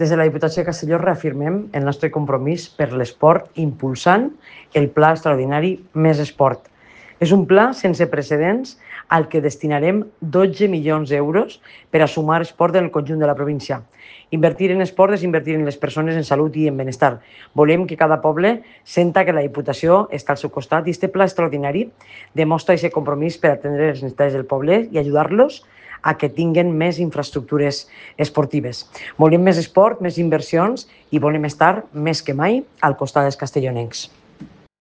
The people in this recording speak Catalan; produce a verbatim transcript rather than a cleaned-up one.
Des de la Diputació de Castelló reafirmem el nostre compromís per l'esport impulsant el Pla Extraordinari Més Esport. És un pla sense precedents al que destinarem dotze milions d'euros per a sumar esport en el conjunt de la província. Invertir en esport és invertir en les persones en salut i en benestar. Volem que cada poble senta que la Diputació està al seu costat i este pla extraordinari demostra aquest compromís per atendre les necessitats del poble i ajudar-los a que tinguen més infraestructures esportives. Volem més esport, més inversions i volem estar més que mai al costat dels castellonencs.